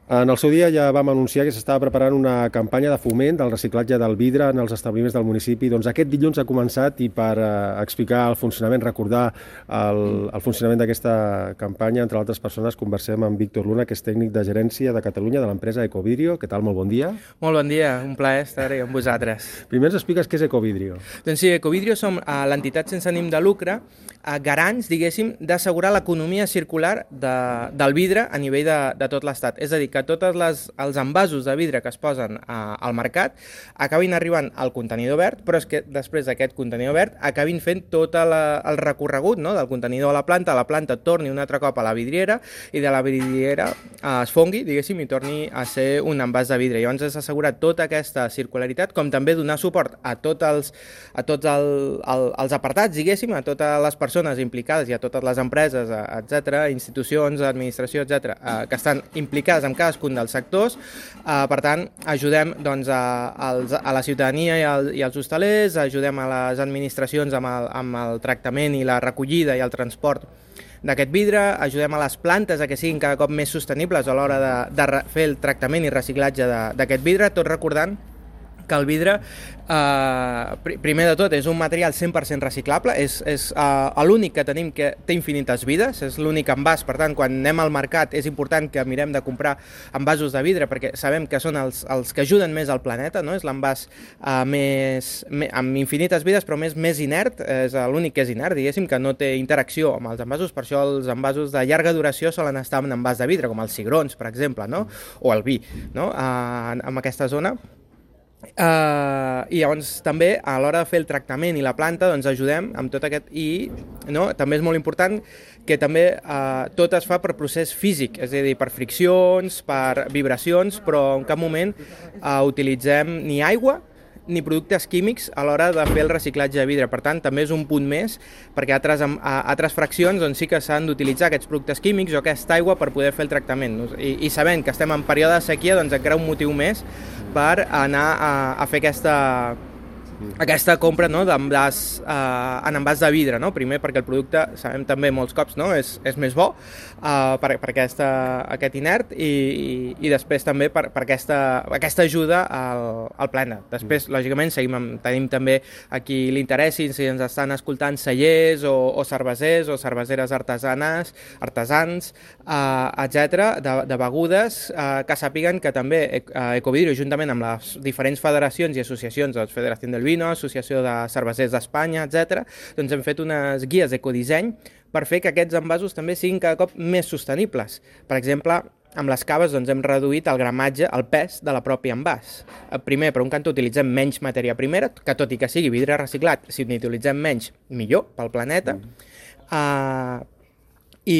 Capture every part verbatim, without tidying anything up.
En el seu dia ja vam anunciar que s'estava preparant una campanya de foment del reciclatge del vidre en els establiments del municipi. Doncs aquest dilluns ha començat i per eh, explicar el funcionament, recordar el, el funcionament d'aquesta campanya, entre altres persones, conversem amb Víctor Luna, que és tècnic de gerència de Catalunya de l'empresa Ecovidrio. Què tal? Molt bon dia. Molt bon dia, un plaer estar amb vosaltres. Primer ens expliques què és Ecovidrio. Doncs sí, Ecovidrio som uh, l'entitat sense ànim de lucre, uh, garants, diguéssim, d'assegurar l'economia circular de, del vidre a nivell de, de tot l'estat. És a dir, que tots els envasos de vidre que es posen a, al mercat acabin arribant al contenidor verd, però és que després d'aquest contenidor verd acabin fent tot la, el recorregut, no?, del contenidor a la planta, la planta torni un altre cop a la vidriera i de la vidriera eh, es fongui, diguéssim, i torni a ser un envàs de vidre. Llavors és assegurar tota aquesta circularitat, com també donar suport a, tot els, a tots el, el, els apartats, diguéssim, a totes les persones implicades i a totes les empreses, etcètera, institucions, administració, etcètera, eh, que estan implicades en cadascun dels sectors. Uh, per tant, ajudem doncs, a, als, a la ciutadania i, al, i als hostalers, ajudem a les administracions amb el, amb el tractament i la recollida i el transport d'aquest vidre, ajudem a les plantes a que siguin cada cop més sostenibles a l'hora de, de fer el tractament i reciclatge d'aquest vidre, tot recordant que el vidre, eh, primer de tot, és un material cent per cent reciclable, és, és eh, l'únic que tenim que té infinites vides, és l'únic envàs, per tant, quan anem al mercat és important que mirem de comprar envasos de vidre perquè sabem que són els, els que ajuden més al planeta, no? És l'envàs eh, més, més, amb infinites vides, però més, més inert, és l'únic que és inert, diguéssim, que no té interacció amb els envasos, per això els envasos de llarga duració solen estar en envàs de vidre, com els cigrons, per exemple, no? O el vi, no? Eh, en aquesta zona. Uh, i llavors també a l'hora de fer el tractament i la planta doncs ajudem amb tot aquest i no? També és molt important que també uh, tot es fa per procés físic, és a dir, per friccions, per vibracions, però en cap moment uh, utilitzem ni aigua ni productes químics a l'hora de fer el reciclatge de vidre. Per tant, també és un punt més, perquè a altres, a altres fraccions doncs, sí que s'han d'utilitzar aquests productes químics o aquesta aigua per poder fer el tractament. I, i sabent que estem en període de sequia, doncs encara un motiu més per anar a, a fer aquesta, aquesta compra, no?, d'envàs eh, en envàs de vidre, no? Primer perquè el producte, sabem també molts cops, no?, és, és més bo eh, per, per aquesta, aquest inert i, i, i després també per, per aquesta, aquesta ajuda al, al planeta. Després, lògicament, seguim amb, tenim també aquí l'interès, si ens estan escoltant cellers o, o cervesers o cerveseres artesanes, artesans, eh, etcètera, de, de begudes, eh, que sàpiguen que també eh, Ecovidrio, juntament amb les diferents federacions i associacions, la Federació del Vino, Associació de Cervesers d'Espanya, etcètera, doncs hem fet unes guies d'ecodisseny per fer que aquests envasos també siguin cada cop més sostenibles. Per exemple, amb les caves doncs, hem reduït el gramatge, el pes de la pròpia envàs. Primer, per un cantó, utilitzem menys matèria primera, que tot i que sigui vidre reciclat, si n'utilitzem menys, millor pel planeta. Mm. Uh, i,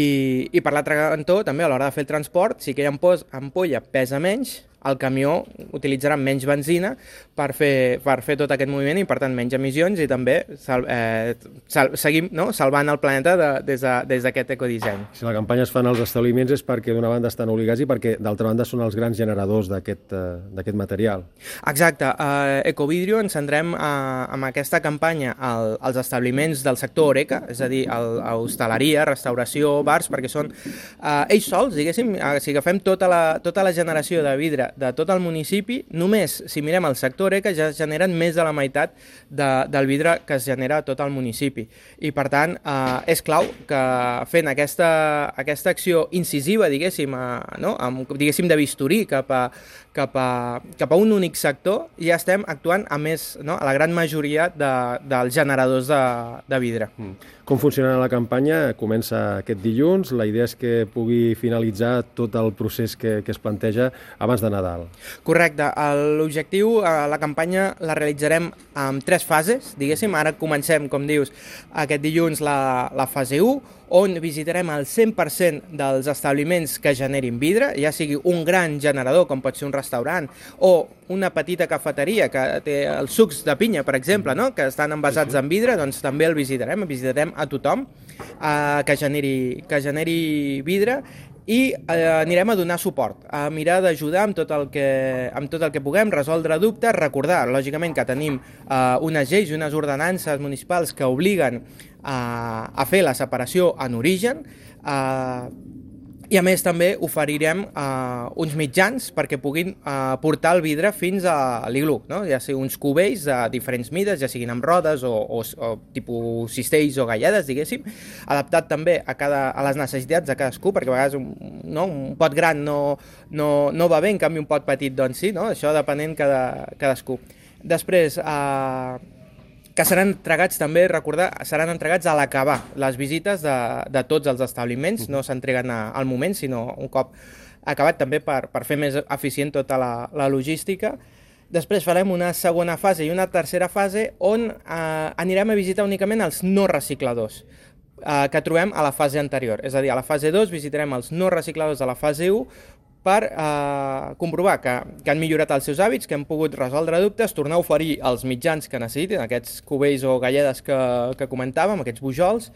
I per l'altre cantó, també a l'hora de fer el transport, si aquella ampolla pesa menys, el camió utilitzarà menys benzina per fer, per fer tot aquest moviment i, per tant, menys emissions i també sal, eh, sal, seguim no? salvant el planeta de, des d'aquest de, ecodisseny. Si la campanya es fa en els establiments és perquè d'una banda estan obligats i perquè d'altra banda són els grans generadors d'aquest eh, material. Exacte. A Ecovidrio ens centrem a, amb aquesta campanya al, als establiments del sector Horeca, és a dir, el, a hostaleria, restauració, bars, perquè són eh, ells sols, diguéssim, si agafem tota la, tota la generació de vidre de tot el municipi, només si mirem el sector Horeca ja es generen més de la meitat de, del vidre que es genera a tot el municipi. I per tant, eh, és clau que fent aquesta, aquesta acció incisiva, diguéssim, eh, no? Amb, diguéssim de bisturí cap a, cap, a, cap a un únic sector, ja estem actuant a més, no? A la gran majoria de, dels generadors de, de vidre. Mm. Com funcionarà la campanya? Comença aquest dilluns. La idea és que pugui finalitzar tot el procés que, que es planteja abans de Nadal. Correcte. L'objectiu, la campanya la realitzarem en tres fases, diguéssim. Ara comencem, com dius, aquest dilluns la, la fase u, on visitarem el cent per cent dels establiments que generin vidre, ja sigui un gran generador, com pot ser un restaurant, o una petita cafeteria que té els sucs de pinya, per exemple, no? Que estan envasats en vidre, doncs també el visitarem, visitarem a tothom eh, que, generi, que generi vidre i eh, anirem a donar suport, a mirar d'ajudar amb, tot el que, amb tot el que puguem, resoldre dubtes, recordar, lògicament, que tenim eh, unes lleis i unes ordenances municipals que obliguen a, a fer la separació en origen, eh, I a més també oferirem uh, uns mitjans perquè puguin uh, portar el vidre fins a l'iglú, no? Ja sigui uns cubells de diferents mides, ja siguin amb rodes o, o, o tipus cistells o galledes, diguéssim, adaptat també a, cada, a les necessitats de cadascú, perquè a vegades un, no, un pot gran no, no, no va bé, en canvi un pot petit doncs sí, no? Això depenent cada, cadascú. Després, uh, que seran entregats també, recordar, seran entregats a l'acabar les visites de, de tots els establiments, no s'entreguen al moment, sinó un cop acabat també per, per fer més eficient tota la, la logística. Després farem una segona fase i una tercera fase on eh, anirem a visitar únicament els no recicladors eh, que trobem a la fase anterior. És a dir, a la fase dos visitarem els no recicladors de la fase u per eh, comprovar que, que han millorat els seus hàbits, que han pogut resoldre dubtes, tornar a oferir els mitjans que necessitin, aquests cubells o galledes que, que comentàvem, aquests bujols,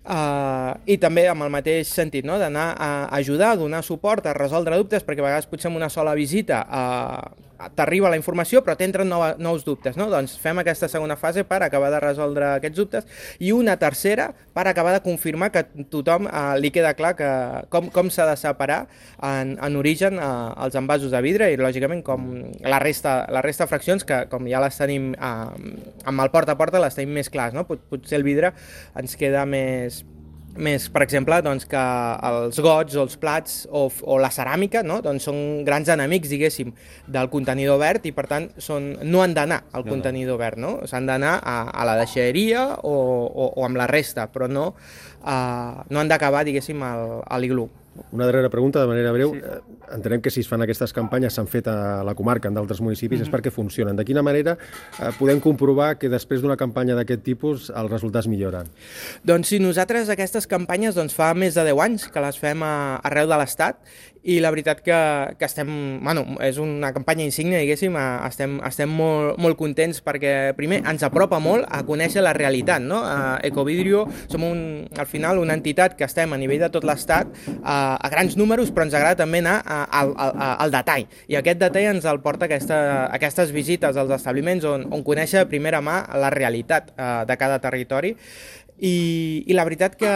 eh, i també amb el mateix sentit, no? D'anar a ajudar, a donar suport, a resoldre dubtes, perquè a vegades potser en una sola visita eh, t'arriba la informació però t'entren nova, nous dubtes, no? Doncs fem aquesta segona fase per acabar de resoldre aquests dubtes i una tercera per acabar de confirmar que a tothom eh, li queda clar que, com, com s'ha de separar en, en origen eh, els envasos de vidre i lògicament com la resta, la resta de fraccions que com ja les tenim eh, amb el porta a porta les tenim més clars, no? Pot, potser el vidre ens queda més més, per exemple, doncs, que els gots o els plats o, o la ceràmica, no? Doncs són grans enemics, diguéssim, del contenidor verd i, per tant, són, no han d'anar al no, contenidor no. verd, no? S'han d'anar a, a la deixalleria o, o, o amb la resta, però no, uh, no han d'acabar, diguéssim, al, a l'iglú. Una darrera pregunta, de manera breu. Sí. Entenem que si es fan aquestes campanyes, s'han fet a la comarca, en d'altres municipis, mm-hmm. és perquè funcionen. De quina manera eh, podem comprovar que després d'una campanya d'aquest tipus els resultats milloren? Doncs sí, nosaltres aquestes campanyes doncs, fa més de deu anys que les fem a, arreu de l'Estat i la veritat que, que estem, bueno, és una campanya insígnia, diguéssim, estem, estem molt, molt contents perquè, primer, ens apropa molt a conèixer la realitat, no? A Ecovidrio som, un, al final, una entitat que estem a nivell de tot l'Estat a, a grans números, però ens agrada també anar a, a, a, al detall. I aquest detall ens el porta aquesta, aquestes visites als establiments on, on conèixer de primera mà la realitat uh, de cada territori. I, i la veritat que,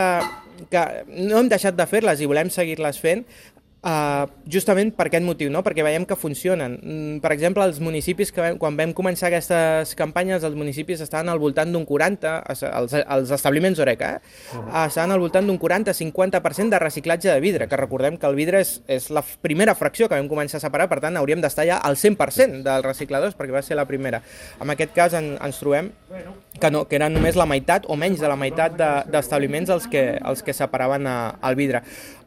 que no hem deixat de fer-les i volem seguir-les fent, Uh, justament per aquest motiu, no? Perquè veiem que funcionen. Mm, per exemple, els municipis, que vam, quan vam començar aquestes campanyes, els municipis estaven al voltant d'un quaranta, els, els establiments Oreca, eh? Uh-huh. uh, estaven al voltant d'un quaranta a cinquanta per cent de reciclatge de vidre, que recordem que el vidre és, és la primera fracció que vam començar a separar, per tant hauríem d'estar ja al cent per cent dels recicladors, perquè va ser la primera. En aquest cas en, ens trobem que, no, que eren només la meitat o menys de la meitat d'establiments de, els, que, els que separaven a, el vidre.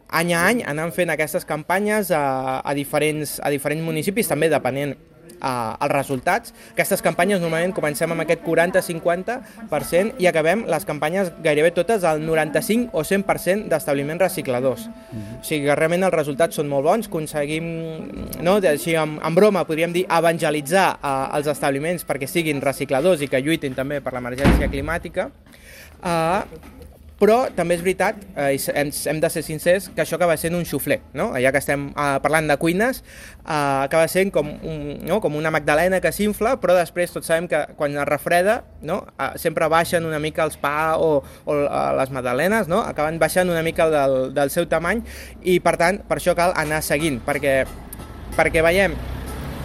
Any a any anem fent aquestes campanyes a, a, diferents, a diferents municipis, també depenent uh, els resultats. Aquestes campanyes normalment comencem amb aquest quaranta a cinquanta per cent i acabem les campanyes gairebé totes al noranta-cinc o cent per cent d'establiments recicladors. Mm-hmm. O sigui que realment els resultats són molt bons, aconseguim, no, així amb, amb broma podríem dir, evangelitzar uh, els establiments perquè siguin recicladors i que lluitin també per l'emergència climàtica. Uh, Però també és veritat, eh, hem, hem de ser sincers, que això acaba sent un xufler, no? Ja que estem eh, parlant de cuines, eh, acaba sent com, un, no? com una magdalena que s'infla, però després tots sabem que quan es refreda, no? eh, sempre baixen una mica els pa o, o eh, les magdalenes, no? Acaben baixant una mica del, del seu tamany i per tant per això cal anar seguint, perquè, perquè veiem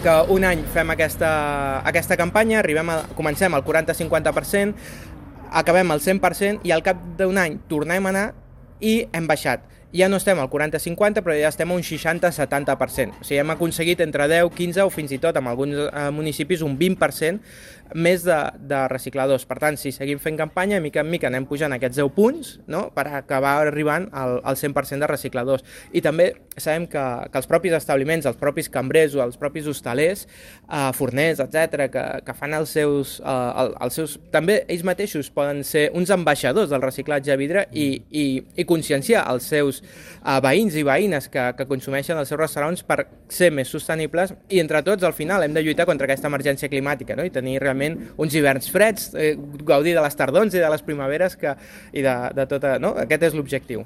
que un any fem aquesta, aquesta campanya, arribem a, comencem al quaranta a cinquanta per cent, acabem al cent per cent i al cap d'un any tornem a anar i hem baixat. Ja no estem al quaranta a cinquanta, però ja estem a un seixanta a setanta per cent. O sigui, hem aconseguit entre deu, quinze o fins i tot en alguns eh, municipis un vint per cent més de, de recicladors. Per tant, si seguim fent campanya, mica en mica anem pujant aquests deu punts, no?, per acabar arribant al, al cent per cent de recicladors. I també sabem que, que els propis establiments, els propis cambrers o els propis hostalers, eh, forners, etcètera, que, que fan els seus, eh, els seus... També ells mateixos poden ser uns ambaixadors del reciclatge de vidre i, i, i conscienciar els seus a veïns i veïnes que, que consumeixen els seus restaurants per ser més sostenibles i entre tots al final hem de lluitar contra aquesta emergència climàtica, no? I tenir realment uns hiverns freds, eh, gaudir de les tardors i de les primaveres que, i de, de tota, no? Aquest és l'objectiu.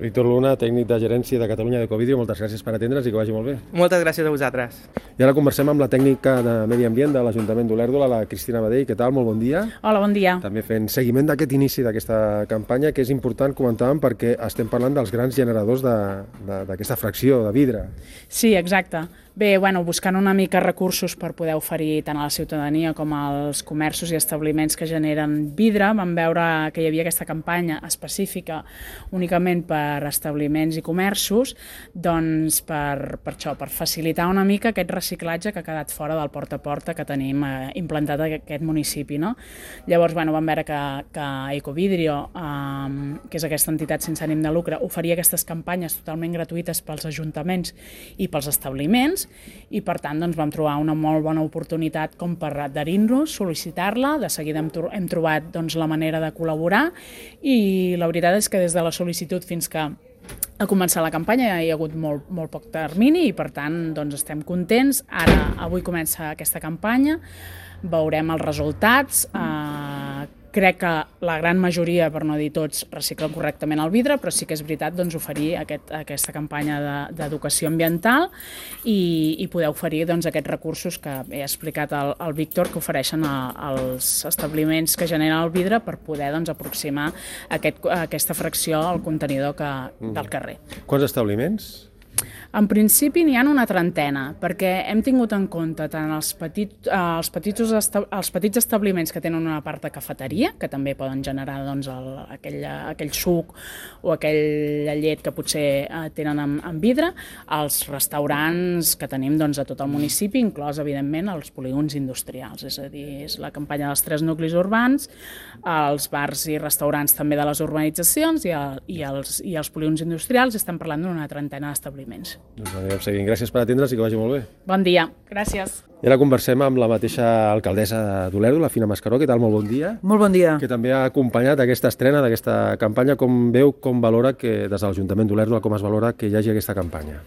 Víctor Luna, tècnic de gerència de Catalunya d'Ecovidrio, moltes gràcies per atendre'ns i que vagi molt bé. Moltes gràcies a vosaltres. I ara conversem amb la tècnica de Medi Ambient de l'Ajuntament d'Olèrdola, la Cristina Badell. Què tal? Molt bon dia. Hola, bon dia. També fent seguiment d'aquest inici d'aquesta campanya, que és important, comentàvem, perquè estem parlant dels grans generadors d'aquesta fracció de vidre. Sí, exacte. Bé, bueno, buscant una mica recursos per poder oferir tant a la ciutadania com als comerços i establiments que generen vidre, vam veure que hi havia aquesta campanya específica únicament per establiments i comerços, doncs per, per això, per facilitar una mica aquest reciclatge que ha quedat fora del porta a porta que tenim eh, implantat a aquest municipi, no? Llavors, bueno, vam veure que, que Ecovidrio, eh, que és aquesta entitat sense ànim de lucre, oferia aquestes campanyes totalment gratuïtes pels ajuntaments i pels establiments, i per tant doncs, vam trobar una molt bona oportunitat com per adherir-nos, sol·licitar-la, de seguida hem, hem trobat doncs, la manera de col·laborar i la veritat és que des de la sol·licitud fins que a començar la campanya hi ha hagut molt, molt poc termini i per tant doncs, estem contents. Ara, avui comença aquesta campanya, veurem els resultats. Eh, crec que la gran majoria, per no dir tots, reciclen correctament el vidre, però sí que és veritat doncs, oferir aquest, aquesta campanya d'educació de, ambiental i, i poder oferir doncs, aquests recursos que he explicat al, al Víctor, que ofereixen a, als establiments que generen el vidre per poder doncs, aproximar aquest, aquesta fracció al contenidor que, del carrer. Quants establiments? En principi n'hi ha una trentena, perquè hem tingut en compte tant els, petit, eh, els, petits, els petits establiments que tenen una part de cafeteria, que també poden generar doncs, el, aquell, aquell suc o aquella llet que potser eh, tenen en, en vidre, els restaurants que tenim doncs, a tot el municipi, inclòs, evidentment, els polígons industrials, és a dir, és la campanya dels tres nuclis urbans, els bars i restaurants també de les urbanitzacions i, el, i, els, i els polígons industrials, estem parlant d'una trentena d'establiments. Doncs anirem seguint. Gràcies per atendre's i que vagi molt bé. Bon dia. Gràcies. I ara conversem amb la mateixa alcaldessa d'Olèrdola, la Fina Mascaró. Què tal? Molt bon dia. Molt bon dia. Que també ha acompanyat aquesta estrena d'aquesta campanya. Com veu, com valora que des de l'Ajuntament d'Olèrdola, com es valora que hi hagi aquesta campanya?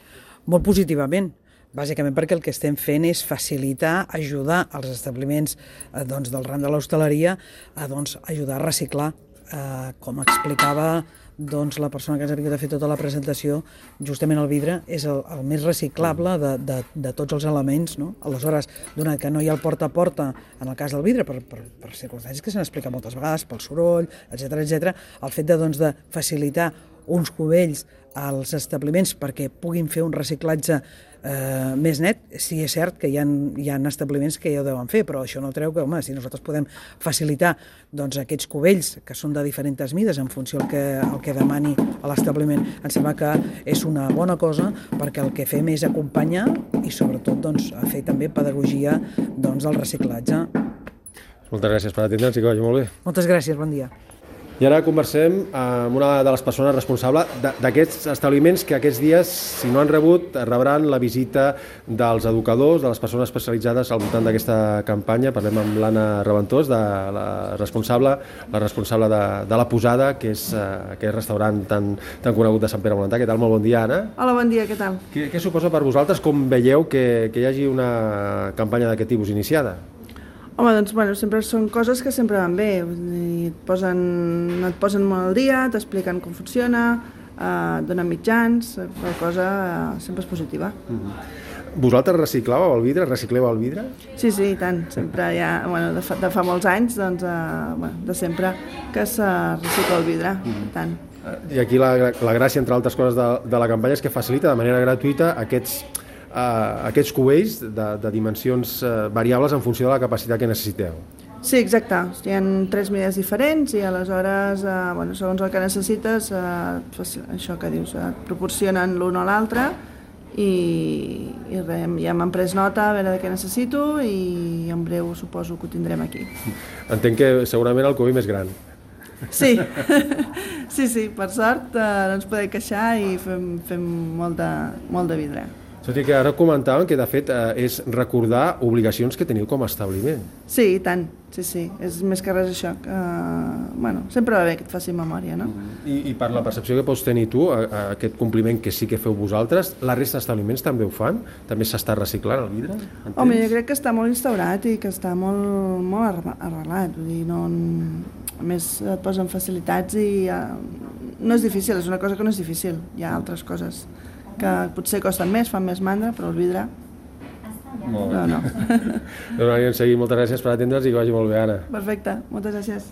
Molt positivament. Bàsicament perquè el que estem fent és facilitar, ajudar els establiments eh, doncs, del ram de l'hostaleria a doncs, ajudar a reciclar. Eh, com explicava doncs, la persona que ens ha vingut a fer tota la presentació, justament el vidre és el, el més reciclable de, de, de tots els elements, no? Aleshores, donat que no hi ha el porta a porta en el cas del vidre, per, per, per circumstàncies que s'han explicat moltes vegades, pel soroll, etcètera, etcètera, el fet de, doncs, de facilitar uns cubells als establiments perquè puguin fer un reciclatge eh, més net, sí és cert que hi ha, hi ha establiments que ja ho deuen fer, però això no treu que, home, si nosaltres podem facilitar doncs, aquests cubells que són de diferents mides en funció del que, el que demani a l'establiment, em sembla que és una bona cosa perquè el que fem és acompanyar i sobretot doncs, a fer també pedagogia doncs, del reciclatge. Moltes gràcies per atendre'ns i que vagi molt bé. Moltes gràcies, bon dia. I ara conversem amb una de les persones responsables d'aquests establiments que aquests dies, si no han rebut, rebran la visita dels educadors, de les persones especialitzades al voltant d'aquesta campanya. Parlem amb l'Anna Reventós, de la responsable, la responsable de, de la Posada, que és uh, aquest restaurant tan, tan conegut de Sant Pere Molentà. Què tal? Molt bon dia, Anna. Hola, bon dia, què tal? Què, què suposa per vosaltres? Com veieu que, que hi hagi una campanya d'aquest tipus iniciada? Home, doncs, bueno, sempre són coses que sempre van bé. Et posen, et posen molt al dia, t'expliquen com funciona, eh, donen mitjans, la cosa eh, sempre és positiva. Mm-hmm. Vosaltres reciclàveu el vidre? Recicleu el vidre? Sí, sí, i tant. Sempre hi ha, bueno, de fa, de fa molts anys, doncs, eh, bueno, de sempre que se recicla el vidre, mm-hmm. tant. I aquí la, la gràcia, entre altres coses, de, de la campanya és que facilita de manera gratuïta aquests Uh, aquests cubells de, de dimensions uh, variables en funció de la capacitat que necessiteu. Sí, exacte. Hi ha tres mides diferents i aleshores, uh, bueno, segons el que necessites, uh, això que dius, uh, et proporcionen l'un o l'altre i, i res, ja m'han pres nota a veure de què necessito i en breu suposo que ho tindrem aquí. Entenc que segurament el cubell més gran. Sí, sí, sí, per sort uh, no ens podem queixar i fem, fem molt de, molt de vidre. Tot i que ara comentàvem que, de fet, eh, és recordar obligacions que teniu com a establiment. Sí, i tant. Sí, sí. És més que res això. Que, bueno, sempre va bé que et faci memòria, no? I, I per la percepció que pots tenir tu, a, a aquest compliment que sí que feu vosaltres, la resta d'establiments també ho fan? També s'està reciclant el vidre? Entens? Home, jo crec que està molt instaurat i que està molt, molt arrelat. Vull dir, no, a més et posen facilitats i uh, no és difícil, és una cosa que no és difícil. Hi ha altres coses que potser costen més, fan més mandra, però el vidre... Molt bé. No, no. Doncs anirem seguint. Moltes gràcies per atendre'ns i que vagi molt bé, Anna. Perfecte, moltes gràcies.